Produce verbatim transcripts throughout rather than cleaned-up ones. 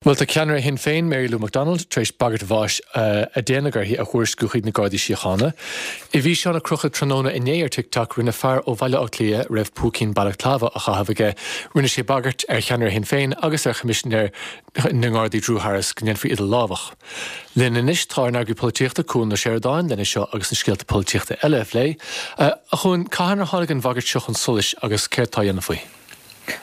Bhuel tá ceannaire Shinn Féin Mary Lou McDonald tar éis bagairt bháis uh, a déanadh uirthi a thuairisciú chuig na Gardaí Síochána. I bhfíseán a crochadh tráthnóna inné ar TikTok rinne fear ó Bhaile Átha Cliath raibh púicín balaclava á chaitheamh aige, rinne sé bagairt ar cheannaire Shinn Féin agus ar Choimisinéir na nGardaí Drew Harris go ndéanfaí iad a lámhach. Linn anois tá ár n-eagraí polaitíochta Cuan Ó Seireadáin lena seo agus na scéalta polaitíochta eile a phlé, uh, a Chuain cathain a tháinig an bhagairt seo chun solais agus céard atá á dhéanamh faoi.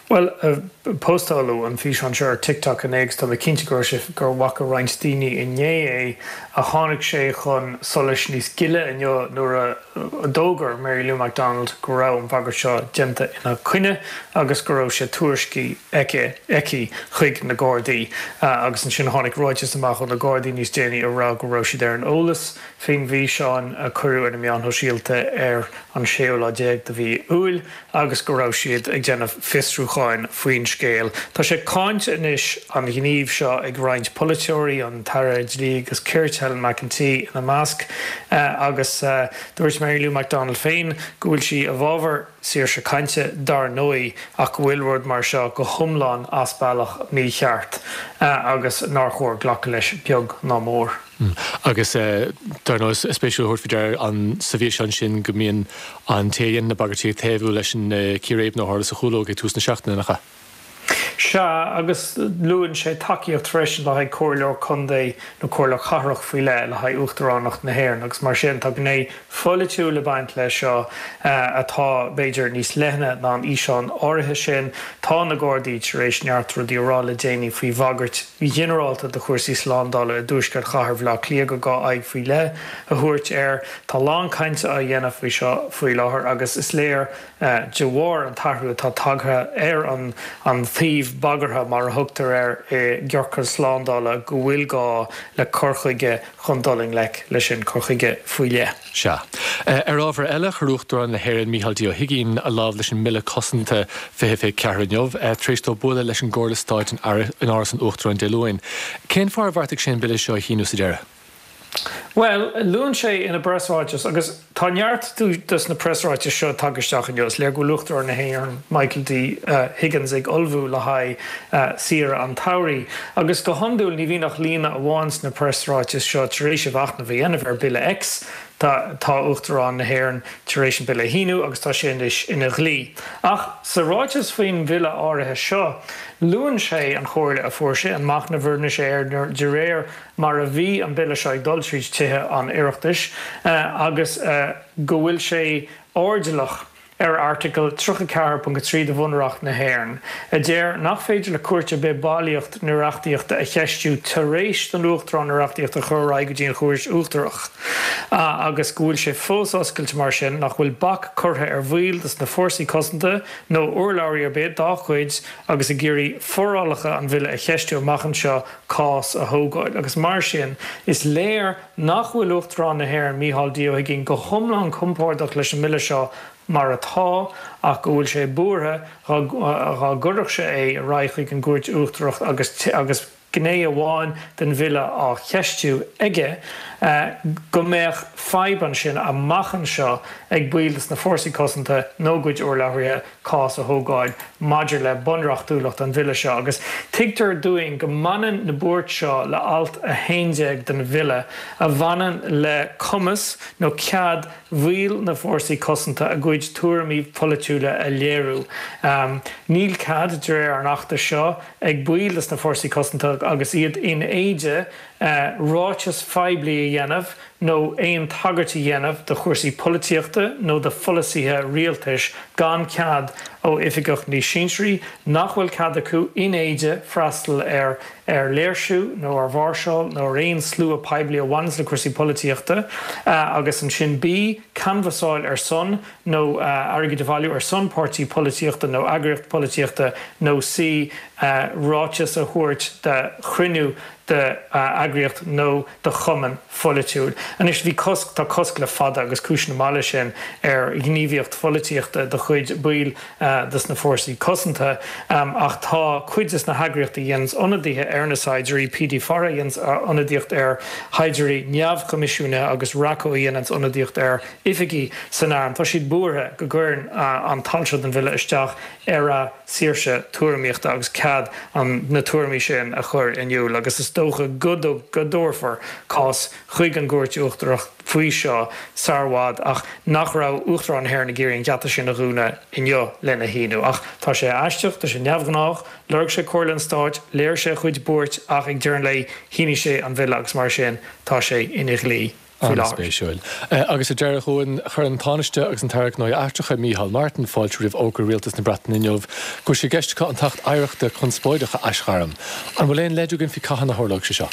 Well uh, postáladh an físeán seo ar TikTok inné agus tá mé cinnte gur gur bhfaca roinnt daoine inné é a tháinig sé chun solais níos gile inniu nuair a d'fhógair Mary Lou McDonald go raibh an bhagairt seo déanta ina coinne agus go raibh sé tuairiscithe aici aici chuig na Gardaí uh, agus ansin tháinig ráiteas amach ó na Gardaí níos déanaí a rá go raibh siad ar an eolas faoin bhfíseán a cuireadh ar na meáin shóisialta ar an séú lá déag de mhí Iúil agus go raibh siad ag déanamh fiosrúcháin faoin scéal. Tá sé cáinte anois an gníomh seo ag roinnt polaiteoirí an tAire Dlí agus Cirt Helen McEntee ina measc uh, agus uh, dúirt Mary Lou McDonald féin go bhfuil sí i bhfabhar saoirse cainte dar ndóigh ach go bhfuil rud mar seo go hiomlán as bealach mícheart uh, agus nár chóir glacadh leis beag ná mór. Mm. Agus uh, dar ndóigh spéisiúil thabhairt faoi deara an sa bhfíseán sin go mbíonn an té a dhéanann na bagairtí taobh leis an uh, círéib a tharla sa Chúlóg ag tús na seachtaine nach ea. Sea agus luann sé tacaíocht freisin le haghaidh comhairleoir contae nó comhairleoir cathrach faoi leith le haghaidh uachtaránacht na hÉireann agus mar sin tá gné pholaitiúil ag baint leis seo uh, atá b'fhéidir níos leithne ná an físeán áirithe sin tá na Gardaí tar éis neart rudaí a rá le déanaí faoi bhagairt ghinearálta do chúrsaí slándála i dtuaisceart chathair Bhaile Átha Cliath gur gá aghaidh faoi leith a thabhairt air tá lán cainte á dhéanamh faoi seo faoi láthair agus is léir uh, de bharr an t-athrú atá tagtha ar an an taobh bagartha mar a thugtar air i gciorcal slándála go bhfuil gá le cur chuige chun dul i ngleic leis sin cur chuige faoi leith. Sea. Ar ábhar eile chuir Uachtarán na hÉireann Micheál D. Ó hUigínn a lámh leis an mBille Cosanta fiche fiche ceathair inniu, tar éis dó bualadh leis an gComhairle Stáit in Áras an Uachtaráin Dé Luain. Cén fáth ar bheartaigh sé an bille seo a shíniú sa deireadh? Well, luann sé ina bpreasráiteas agus tá neart dos na preasráitis seo tagtha isteach inniu le go Uachtarán na hÉireann Michael D uh, Higgins ag ullmhú le haghaidh uh, saoire an tsamhraidh. Agus go hiondúil ní bhíonn ach líne amháin sna preasráitis seo tar éis a mhachnamh a dhéanamh ar Bille X. Tá tá Uachtarán na hÉireann tar éis an bille a shíniú agus tá sé anois ina dhlí. Ach sa ráiteas faoin bhille áirithe seo, luann sé an chomhairle a fuair sé an machnamh a rinne sé ar de réir mar a bhí an bille seo ag dul tríd tithe an Oireachtais uh, agus uh, go bhfuil sé airdeallach ar Airteagal tríocha ceathair ponc trí de Bhunreacht na hÉireann. A deir nach féidir le cúirt ar bith bailíocht na reachtaíochta a cheistiú tar éis don Uachtarán na reachtaíocht a chur ar aghaidh go dtí an Chúirt Uachtarach. Uh, agus go bhfuil sé fós oscailte mar sin nach bhfuil bac curtha ar bhaill des na fórsaí cosanta nó urlabhraí ar bith dá gcuid agus ag iarraidh forálacha an bhille a cheistiú amach anseo cás a thógáil. agus mar sin is léir nach bhfuil Uachtarán na hÉireann Micheál D. Ó hUigínn go hiomlán compordach leis an mbille seo mar atá ach go bhfuil sé buartha dá gcuirfeadh sé é ar aghaidh chuig an gCúirt Uachtarach agus agus gné amháin den bhille á cheistiú aige go mbeadh fadhb ansin amach anseo ag baill des na fórsaí cosanta nó a gcuid urlabhraithe cás a thógáil maidir le bunreachtúlacht an bhille seo agus tuigtear dúinn go mbaineann na buairt seo le alt a haon déag den bhille a bhaineann le cumas nó cead bhaill na fórsaí cosanta a gcuid tuairimí polaitiúla a léiriú. Um, níl cead de réir an achta seo ag baill des na fórsaí cosanta agus iad in éide uh, ráiteas phoiblí a dhéanamh nó aon tagairt a dhéanamh do chúrsaí polaitíochta nó do pholasaithe rialtais gan cead ó oifigeach níos sinsearaí nach bhfuil cead acu in éide freastal ar ar léirsiú nó ar mháirseáil nó ar aon slua poiblí a bhaineann le cúrsaí polaitíochta uh, agus ansin B canbhasáil ar son nó uh, airgead a bhailiú ar son páirtí polaitíochta nó eagraíocht polaitíochta nó C uh, ráiteas a thabhairt de chruinniú de uh, d'eagraíocht nó do chumann pholaitiúil. Anois bhí cosc tá cosc le fada agus cúiseanna maith leis sin ar ghníomhaíocht pholaitíochta de chuid baill de na fórsaí cosanta ach tá cuid de na heagraíochtaí a dhéananns ionadaithe ar na saighdiúirí PD Fara a dhéananns ionadaíocht ar shaighdiúirí neamhchoimisiúnaithe agus RACO a dhéananns ionadaíocht ar oifigigh san arm. Tá siad buartha go gcuireann an t-alt seo den bhille isteach ar a saoirse tuairimíochta agus cead an na tuairimí sin a chur in iúl agus is dócha go go dtabharfar cás chuig an gCúirt Uachtarach faoi seo sar i bhfad ach nach raibh Uachtarán na hÉireann ag iarraidh an geata sin a dhúnadh inniu lena shíniú. Ach tá sé aisteach, tá sé neamhghnách, lorg sé comhairle an stáit, léirigh sé a chuid buairt ach ag deireadh an lae shínigh sé an bhille agus mar sin tá sé ina dhlí. faoi láthair. An-spéisiúil. Agus ar deireadh a Chuain, chuir an Tánaiste agus an tAire Gnóthaí Eachtracha Micheál Martin fáilte roimh fhógra rialtas na Breataine inniu go bhfuil sé i gceist acu an tAcht Oidhreachta conspóideach a aisghairm. An bhfuil aon leid againn faoi cathain a tharlóidh sé seo?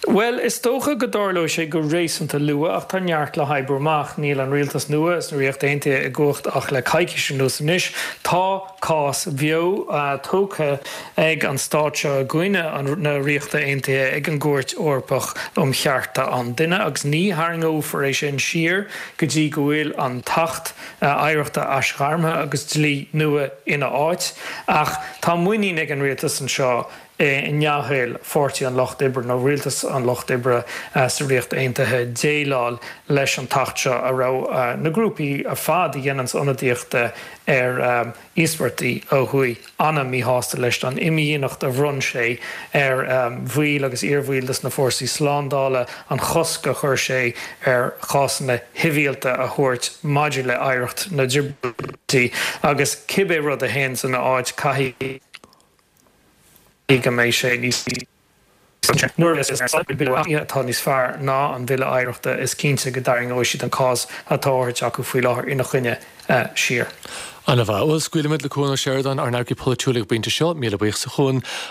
Bhuel, is dócha go dtarlóidh sé go réasúnta luath ach tá neart le hoibriú amach. Níl an rialtas nua sna Ríocht Aontaithe i gcumhacht ach le coicís anuas anois. Tá cás beo tógtha ag an stát seo i gcoinne na Ríochta Aontaithe ag an gCúirt Eorpach um Chearta an Duine agus ní tharraingeofar é sin siar go dtí go bhfuil an tAcht Oidhreachta aisghairmthe agus dlí nua ina áit. Ach tá muinín ag an rialtas anseo i ndea-thoil Pháirtí an Lucht Oibre nó Rialtas an Lucht Oibre sa Ríocht Aontaithe déileáil leis an tAcht seo a raibh na grúpaí ar fad a dhéananns ionadaíocht ar íospartaigh ó thuaidh an-mhíshásta leis an imdhíonacht a bhronn sé ar bhaill agus iarbhaill de na fórsaí slándála, an chosc a chuir sé ar chásanna sibhialta a thabhairt maidir le hoidhreacht na dtrioblóidí agus cibé rud a théann ina áit caithfidh go mbeidh sé níos Nuair a bille atá níos fearr ná an Bille Oidhreachta is cinnte go dtarraingeoidh siad an cás atá á thabhairt acu faoi láthair ina choinne siar. Ana-mhaith. Bhuel, scaoilfimid le Cuan Ó Seireadáin, ár n-amharcaí polaitiúil ag an bpointe seo, míle buíochas a Chuain.